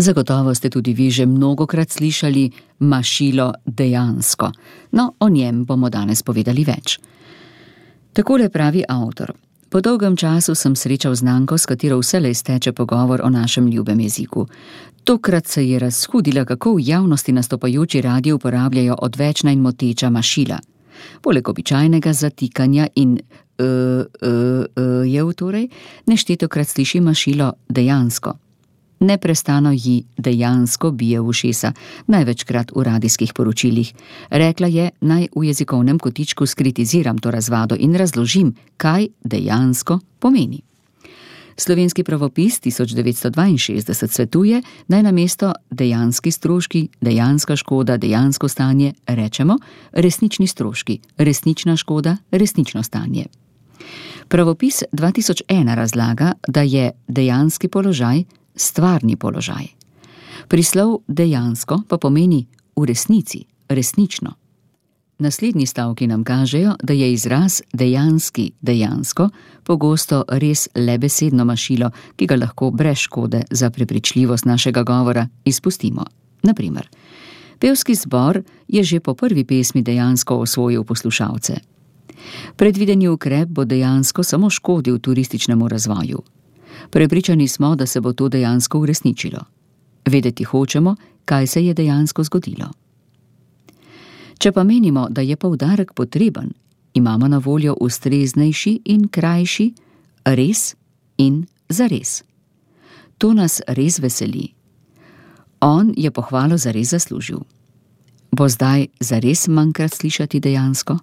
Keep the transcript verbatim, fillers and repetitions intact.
Zagotovo ste tudi vi že mnogokrat slišali mašilo dejansko. No, o njem bomo danes povedali več. Takole pravi avtor. Po dolgem času sem srečal znanko, s katero vselej steče pogovor o našem ljubem jeziku. Tokrat se je razhudila, kako v javnosti nastopajoči radi uporabljajo odvečna in moteča mašila. Poleg običajnega zatikanja in e, e, e, jev torej, neštetokrat sliši mašilo dejansko. Neprestano ji dejansko bije v ušesa, največkrat v radijskih poročilih. Rekla je, naj v jezikovnem kotičku skritiziram to razvado in razložim, kaj dejansko pomeni. Slovenski pravopis tisoč devetsto dvainšestdeset svetuje, naj namesto dejanski stroški, dejanska škoda, dejansko stanje rečemo resnični stroški, resnična škoda, resnično stanje. Pravopis dva tisoč ena razlaga, da je dejanski položaj stvarni položaj. Prislov dejansko pa pomeni v resnici, resnično. Naslednji stavki nam kažejo, da je izraz dejanski dejansko pogosto res le besedno mašilo, ki ga lahko brez škode za prepričljivost našega govora izpustimo. Naprimer, pevski zbor je že po prvi pesmi dejansko osvojil poslušalce. Predvideni ukrep bo dejansko samo škodil turističnemu razvoju. Prepričani smo, da se bo to dejansko uresničilo. Vedeti hočemo, kaj se je dejansko zgodilo. Če pa menimo, da je poudarek potreben, imamo na voljo ustreznejši in krajši res in zares. To nas res veseli. On je pohvalo zares zaslužil. Bo zdaj zares manjkrat slišati dejansko?